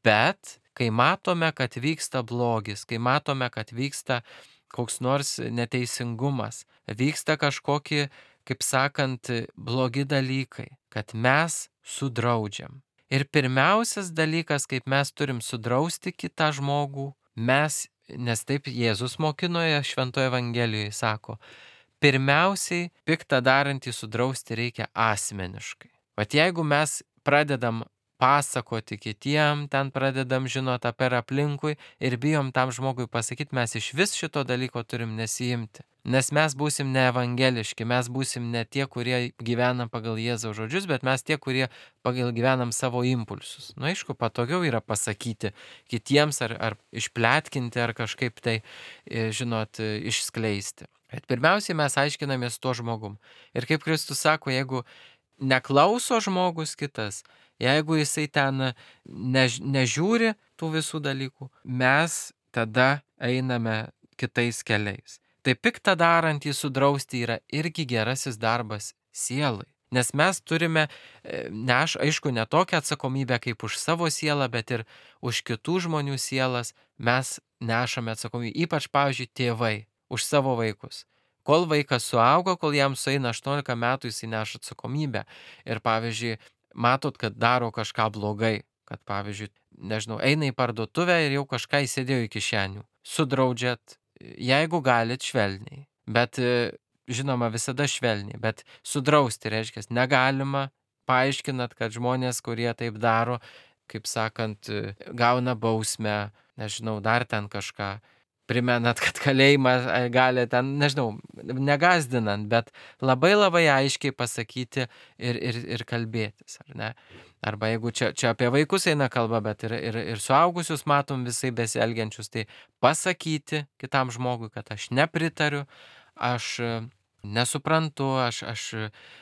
bet kai matome, kad vyksta blogis, kai matome, kad vyksta koks nors neteisingumas, vyksta kažkokie, kaip sakant, blogi dalykai, kad mes sudraudžiam. Ir pirmiausias dalykas, kaip mes turim sudrausti kitą žmogų, nes taip Jėzus mokinoje Šventoje Evangelijoje sako, pirmiausiai piktą darantį sudrausti reikia asmeniškai. Vat jeigu mes pradedam pasakoti kitiem, ten pradedam žinot per aplinkui ir bijom tam žmogui pasakyti, mes iš vis šito dalyko turim nesiimti. Nes mes būsim ne evangeliški, mes būsim ne tie, kurie gyvenam pagal Jėzaus žodžius, bet mes tie, kurie pagal gyvenam savo impulsus. Nu, aišku, patogiau yra pasakyti kitiems ar išpletkinti ar kažkaip tai, žinot, išskleisti. Bet pirmiausiai mes aiškinamės tuo žmogum. Ir kaip Kristus sako, jeigu neklauso žmogus kitas, jeigu jisai ten nežiūri tų visų dalykų, mes tada einame kitais keliais. Tai piktą darantį sudrausti yra irgi gerasis darbas sielai. Nes mes turime, aišku, ne tokią atsakomybę kaip už savo sielą, bet ir už kitų žmonių sielas mes nešame atsakomybę. Ypač, pavyzdžiui, tėvai už savo vaikus. Kol vaikas suaugo, kol jam sueina 18 metų, jis neša atsakomybę. Ir, pavyzdžiui, matot, kad daro kažką blogai. Kad, pavyzdžiui, nežinau, eina į parduotuvę ir jau kažką įsidėjo į kišenių. Sudraudžiat, jeigu galit, švelniai. Bet, žinoma, visada švelniai. Bet sudrausti reiškia, negalima. Paaiškinat, kad žmonės, kurie taip daro, kaip sakant, gauna bausmę, nežinau, dar ten kažką. Primenat, kad kalėjimą gali ten, nežinau, negazdinant, bet labai labai aiškiai pasakyti ir kalbėtis, ar ne? Arba jeigu čia apie vaikus eina kalba, bet ir suaugusius matom visai besielgiančius, tai pasakyti kitam žmogui, kad aš nepritariu, aš nesuprantu,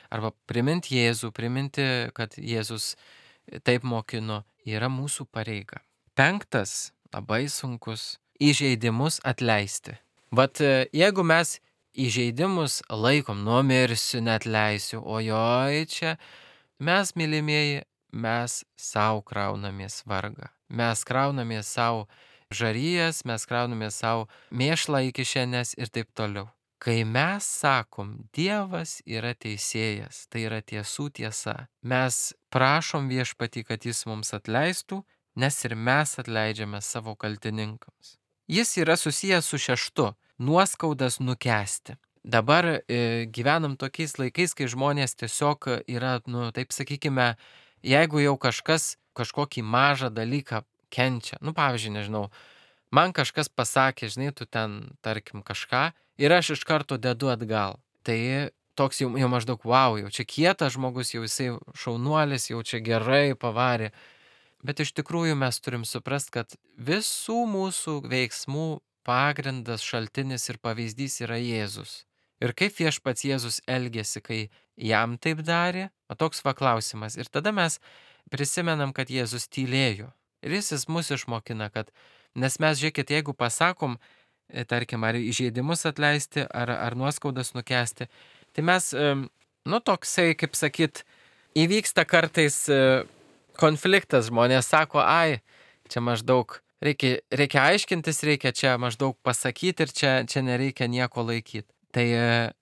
arba priminti Jėzų, kad Jėzus taip mokino, yra mūsų pareiga. 5, labai sunkus. Įžeidimus atleisti. Vat jeigu mes įžeidimus laikom, numirsiu, neatleisiu, ojoj čia, mes, mylimieji, mes savo kraunamės vargą. Mes kraunamės savo žarijas, mes kraunamės savo mėšlą į kišenes ir taip toliau. Kai mes sakom, Dievas yra teisėjas, tai yra tiesų tiesa, mes prašom Viešpatį, kad jis mums atleistų, nes ir mes atleidžiame savo kaltininkams. Jis yra susijęs su 6, nuoskaudas nukęsti. Dabar gyvenam tokiais laikais, kai žmonės tiesiog yra, taip sakykime, jeigu jau kažkas kažkokį mažą dalyką kenčia, pavyzdžiui, nežinau, man kažkas pasakė, žinai, tu ten, tarkim, kažką ir aš iš karto dedu atgal. Tai toks jau maždaug, wow, jau čia kietas žmogus, jau jisai šaunuolis, jau čia gerai pavarė. Bet iš tikrųjų mes turim suprast, kad visų mūsų veiksmų pagrindas, šaltinis ir pavyzdys yra Jėzus. Ir kaip Viešpats Jėzus elgėsi, kai jam taip darė, toks klausimas. Ir tada mes prisimenam, kad Jėzus tylėjo. Ir jis mus išmokina, kad, nes mes, žiūrėkit, jeigu pasakom, tarkim, ar įžeidimus atleisti, ar nuoskaudas nukęsti, tai mes, toksai, kaip sakyt, įvyksta kartais konfliktas, žmonės sako, čia maždaug reikia aiškintis, reikia čia maždaug pasakyti ir čia nereikia nieko laikyti. Tai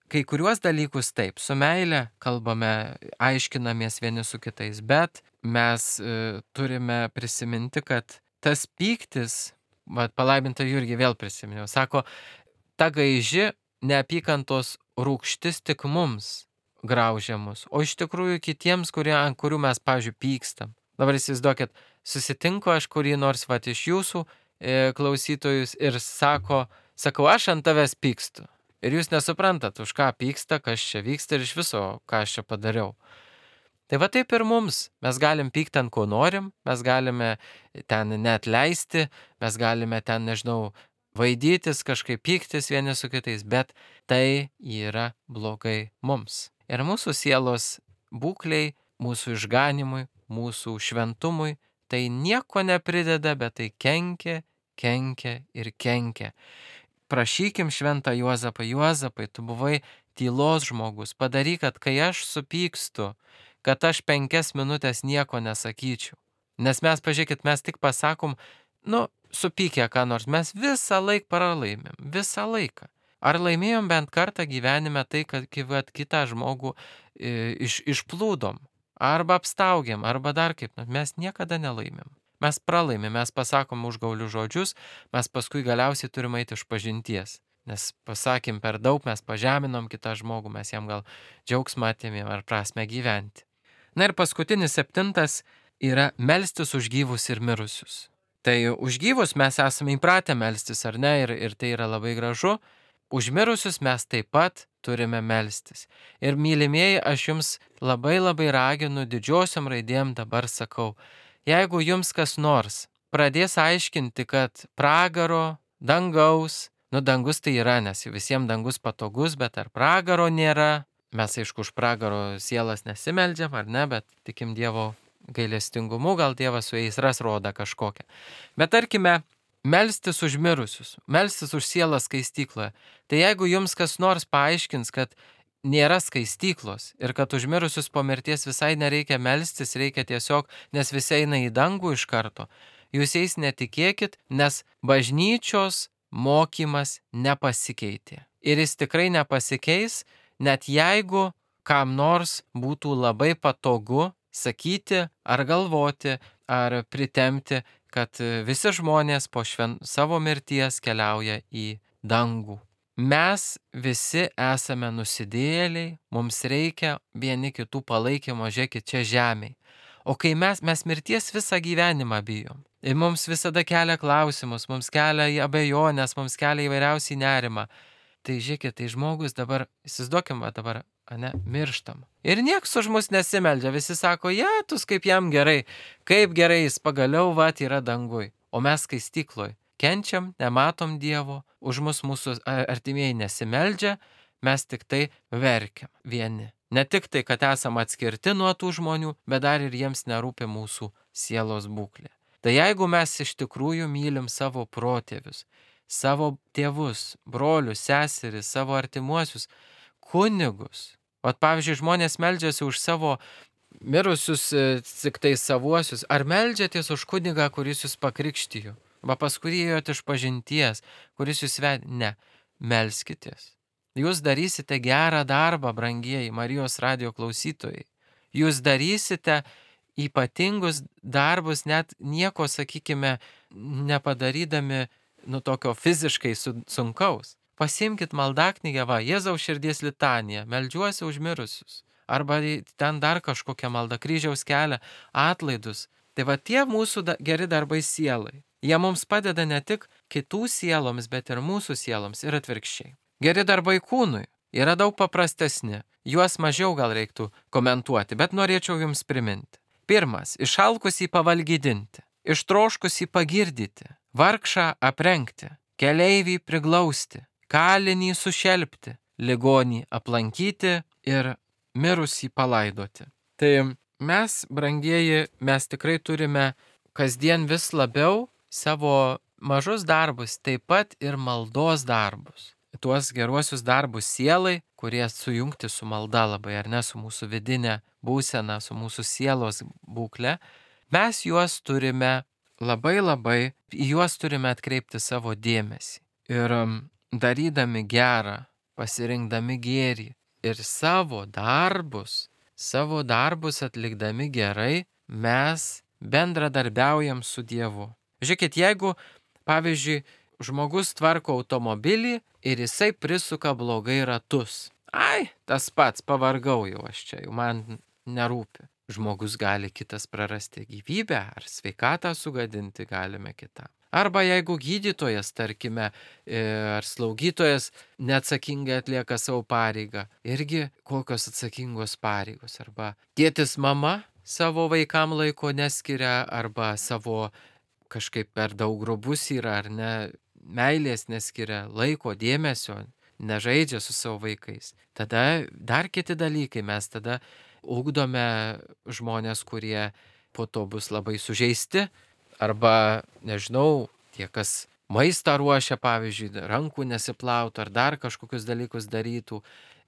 kai kuriuos dalykus taip, su meile kalbame, aiškinamės vieni su kitais, bet mes turime prisiminti, kad tas pyktis, palaimintą Jurgį vėl prisiminiau, sako, ta gaiži neapykantos rūgštis tik mums graužia mus, o iš tikrųjų kitiems, ant kurių mes, pavyzdžiui, pykstam. Dabar įsivaizduokit, susitinku aš kurį nors iš jūsų klausytojus ir sakau, aš ant tavęs pykstu. Ir jūs nesuprantat, už ką pyksta, kas čia vyksta ir iš viso, ką aš čia padariau. Tai va taip ir mums, mes galim pykti ant ko norim, mes galime ten neatleisti, mes galime ten, nežinau, vaidytis, kažkaip pyktis vieni su kitais, bet tai yra blogai mums. Ir mūsų sielos būkliai, mūsų išganimui, mūsų šventumui, tai nieko neprideda, bet tai kenkia ir kenkia. Prašykim šventą Juozapą, Juozapai, tu buvai tylos žmogus, padaryk, kad kai aš supykstu, kad aš 5 minutės nieko nesakyčiau. Nes mes, pažiūrėkit, mes tik pasakom, supykę ką nors, mes visą laiką pralaimėm, visą laiką. Ar laimėjom bent kartą gyvenime tai, kad kitą žmogų išplūdom, arba apstaugėm, arba dar kaip, mes niekada nelaimėm. Mes pralaimėm, mes pasakom užgaulius žodžius, mes paskui galiausiai turim eiti iš pažinties. Nes pasakėm per daug, mes pažeminom kitą žmogų, mes jam gal džiaugsmą atėmėm ar prasme gyventi. Na ir paskutinis 7 yra melstis už gyvus ir mirusius. Tai už gyvus mes esame įpratę melstis, ar ne, ir tai yra labai gražu. Už mirusius mes taip pat turime melstis. Ir mylimieji, aš jums labai raginu, didžiosiom raidėm dabar sakau, jeigu jums kas nors pradės aiškinti, kad pragaro, dangaus, dangus tai yra, nes visiems dangus patogus, bet ar pragaro nėra, mes aišku už pragaro sielas nesimeldžiam, ar ne, bet tikim Dievo gailestingumu, gal Dievas su jais ras rodą kažkokią. Bet tarkime, melstis už mirusius, melstis už sielą skaistykloje. Tai jeigu jums kas nors paaiškins, kad nėra skaistyklos ir kad už mirusius po mirties visai nereikia melstis, reikia tiesiog, nes visi eina į dangų iš karto, jūs jais netikėkit, nes bažnyčios mokymas nepasikeitė. Ir jis tikrai nepasikeis, net jeigu kam nors būtų labai patogu sakyti ar galvoti ar pritemti, kad visi žmonės po savo mirties keliauja į dangų. Mes visi esame nusidėjėliai, mums reikia vieni kitų palaikymo, žiūrėkit, čia žemėje. O kai mes mirties visą gyvenimą bijom, ir mums visada kelia klausimus, mums kelia abejonės, mums kelia įvairiausiai nerimą, tai žiūrėkit, tai žmogus dabar, įsivaizduokim, dabar, mirštam. Ir nieks už mus nesimeldžia, visi sako, tus kaip jam gerai, kaip gerai jis pagaliau yra dangui. O mes skaistykloj kenčiam, nematom Dievo, už mus mūsų artimieji nesimeldžia, mes tik tai verkiam vieni. Ne tik tai, kad esam atskirti nuo tų žmonių, bet dar ir jiems nerūpi mūsų sielos būklė. Tai jeigu mes iš tikrųjų mylim savo protėvius, savo tėvus, brolius, seseris, savo artimuosius, kunigus. Pavyzdžiui, žmonės meldžiasi už savo mirusius tik tai savuosius. Ar meldžiatės už kunigą, kuris jūs pakrikštijo? Pas kurį ėjot iš pažinties, kuris jūs vedė? Ne, melskitės. Jūs darysite gerą darbą, brangieji Marijos radijo klausytojai. Jūs darysite ypatingus darbus, net nieko, sakykime, nepadarydami tokio fiziškai sunkaus. Pasimkit maldaknygę, Jėzaus širdies litanija, meldžiuosi už mirusius. Arba ten dar kažkokią maldą, kryžiaus kelią, atlaidus. Tai tie mūsų geri darbai sielai. Jie mums padeda ne tik kitų sieloms, bet ir mūsų sieloms ir atvirkščiai. Geri darbai kūnui yra daug paprastesni. Juos mažiau gal reiktų komentuoti, bet norėčiau jums priminti. 1. Išalkusį pavalgydinti, ištroškusį pagirdyti, vargšą aprengti, keleivį priglausti, kalinį sušelpti, ligonį aplankyti ir mirusį palaidoti. Tai mes, brangieji, mes tikrai turime kasdien vis labiau savo mažus darbus, taip pat ir maldos darbus. Tuos geruosius darbus sielai, kurie sujungti su malda labai, ar ne, su mūsų vidinė būsena, su mūsų sielos būklė, mes juos turime labai, į juos turime atkreipti savo dėmesį. Ir darydami gerą, pasirinkdami gėrį ir savo darbus atlikdami gerai, mes bendradarbiaujam su Dievu. Žiūrėkit, jeigu, pavyzdžiui, žmogus tvarko automobilį ir jisai prisuka blogai ratus. Tas pats, pavargau jau aš čia, jau man nerūpi. Žmogus gali kitas prarasti gyvybę ar sveikatą sugadinti galime kitam. Arba jeigu gydytojas, tarkime, ar slaugytojas neatsakingai atlieka savo pareigą, irgi kokios atsakingos pareigos. Arba tėtis mama savo vaikam laiko neskiria, arba savo kažkaip per daug grubus yra, ar ne, meilės neskiria, laiko, dėmesio, nežaidžia su savo vaikais. Tada dar kiti dalykai, mes tada ugdome žmonės, kurie po to bus labai sužeisti, arba, nežinau, tie, kas maistą ruošia, pavyzdžiui, rankų nesiplautų, ar dar kažkokius dalykus darytų,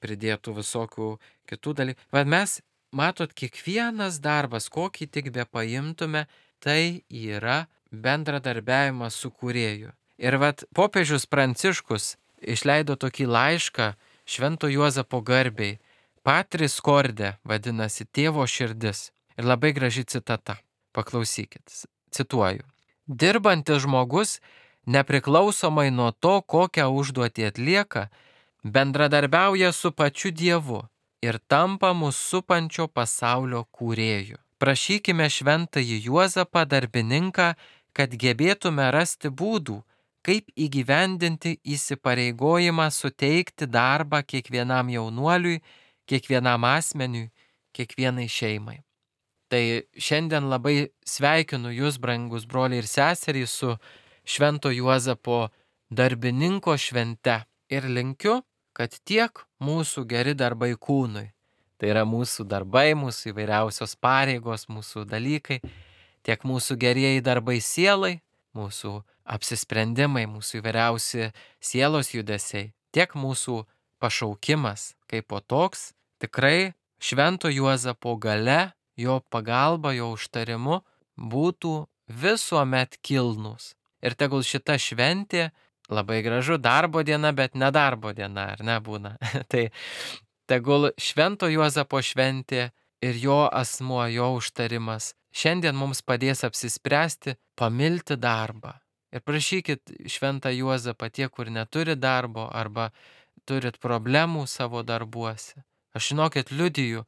pridėtų visokių kitų dalykų. Bet mes, matot, kiekvienas darbas, kokį tik be paimtume, tai yra bendradarbiavimas su Kūrėju. Ir popiežius Pranciškus išleido tokį laišką Švento Juozapo garbei. Patris corde vadinasi tėvo širdis. Ir labai graži citata. Paklausykit. Cituoju. Dirbantis žmogus, nepriklausomai nuo to, kokią užduotį atlieka, bendradarbiauja su pačiu Dievu ir tampa mūsų supančio pasaulio kūrėju. Prašykime šventąjį Juozapą darbininką, kad gebėtume rasti būdų, kaip įgyvendinti įsipareigojimą suteikti darbą kiekvienam jaunuoliui, kiekvienam asmeniui, kiekvienai šeimai. Tai šiandien labai sveikinu jūs, brangus broliai ir seserys, su Švento Juozapo darbininko švente ir linkiu, kad tiek mūsų geri darbai kūnui, tai yra mūsų darbai, mūsų įvairiausios pareigos, mūsų dalykai, tiek mūsų gerieji darbai sielai, mūsų apsisprendimai, mūsų įvairiausi sielos judesiai, tiek mūsų pašaukimas kaip po toks, tikrai Švento Juozapo gale, jo pagalba, jo užtarimu būtų visuomet kilnūs. Ir tegul šita šventė, labai gražu, darbo diena, bet ne darbo diena, ar ne būna. Tai tegul Švento Juozapo šventė ir jo asmuo, jo užtarimas šiandien mums padės apsispręsti, pamilti darbą. Ir prašykit Šventą Juozapą tie, kur neturi darbo arba turit problemų savo darbuose. Aš žinokit, liudiju,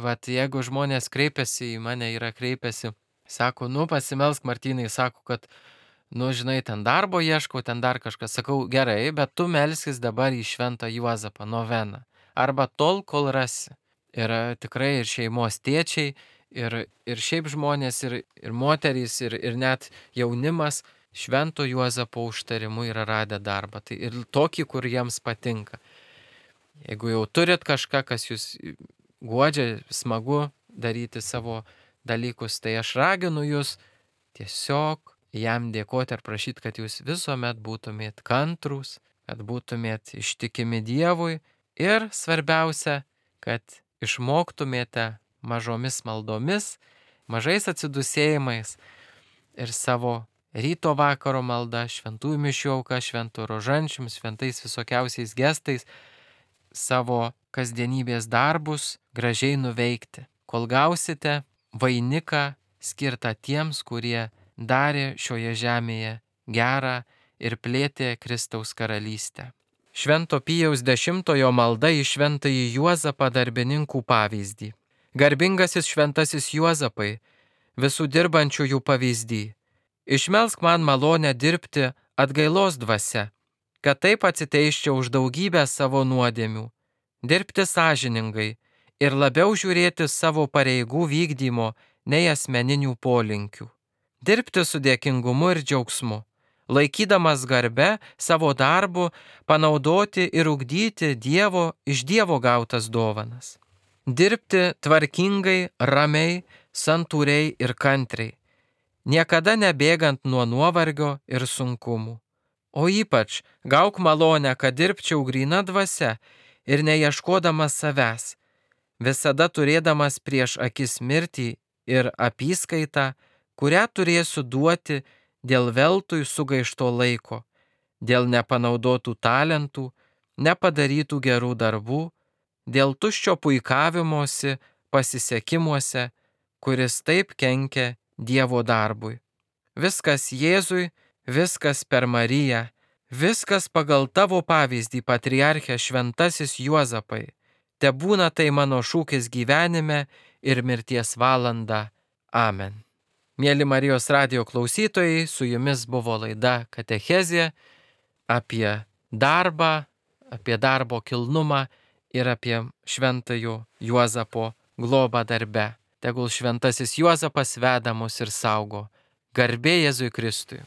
vat jeigu žmonės kreipiasi į mane, kreipiasi, sako, pasimelsk Martynai, sako, kad, žinai, ten darbo ieškau, ten dar kažkas. Sakau, gerai, bet tu melskis dabar į Šventą Juozapą noveną. Arba tol, kol rasi. Yra tikrai ir šeimos tėčiai, ir šiaip žmonės, ir moterys, ir net jaunimas Švento Juozapo užtarimu yra radę darbą. Tai ir tokį, kur jiems patinka. Jeigu jau turit kažką, kas jūs guodžia, smagu daryti savo dalykus, tai aš raginu jūs tiesiog jam dėkoti ir prašyti, kad jūs visuomet būtumėt kantrūs, kad būtumėt ištikimi Dievui ir svarbiausia, kad išmoktumėte mažomis maldomis, mažais atsidusėjimais ir savo ryto vakaro malda, šventųjų mišių auka, šventų rožančium, šventais visokiausiais gestais savo kasdienybės darbus gražiai nuveikti, kol gausite vainiką skirtą tiems, kurie darė šioje žemėje gerą ir plėtė Kristaus karalystę. Švento Pijaus X malda į Šventąjį Juozapą darbininkų pavyzdį. Garbingasis šventasis Juozapai, visų dirbančiųjų pavyzdį, išmelsk man malonę dirbti atgailos dvasia, kad taip atsiteiščiau už daugybę savo nuodėmių, dirbti sąžiningai ir labiau žiūrėti savo pareigų vykdymo nei asmeninių polinkių. Dirbti su dėkingumu ir džiaugsmu, laikydamas garbę savo darbu, panaudoti ir ugdyti iš Dievo gautas dovanas. Dirbti tvarkingai, ramiai, santūriai ir kantriai, niekada nebėgant nuo nuovargio ir sunkumų. O ypač gauk malonę, kad dirbčiau gryna dvasia ir neieškodamas savęs, visada turėdamas prieš akis mirtį ir apyskaitą, kurią turėsiu duoti dėl veltui sugaišto laiko, dėl nepanaudotų talentų, nepadarytų gerų darbų, dėl tuščio puikavimosi pasisekimuose, kuris taip kenkia Dievo darbui. Viskas Jėzui, viskas per Mariją, viskas pagal tavo pavyzdį, patriarche šventasis Juozapai. Tebūna tai mano šūkis gyvenime ir mirties valanda. Amen. Mėly Marijos radijo klausytojai, su jumis buvo laida Katechezė apie darbą, apie darbo kilnumą ir apie Šventojo Juozapo globą darbe. Tegul šventasis Juozapas veda mus ir saugo. Garbė Jėzui Kristui.